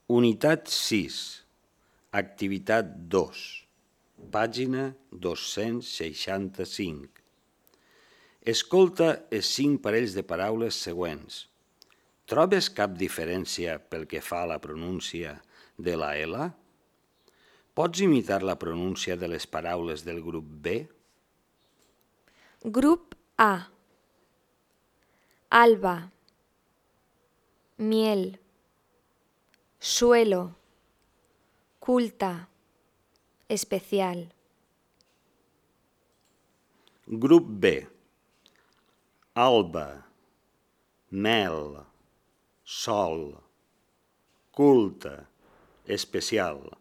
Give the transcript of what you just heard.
Unitat 6, activitat 2, pàgina 265. Escolta els 5 parells de paraules següents. Trobes cap diferència pel que fa a la pronúncia de la L? Pots imitar la pronúncia de les paraules del grup B? Grup A. Alba, miel, suelo, culta, especial. Grup B. Alba, mel, sol, culte, especial.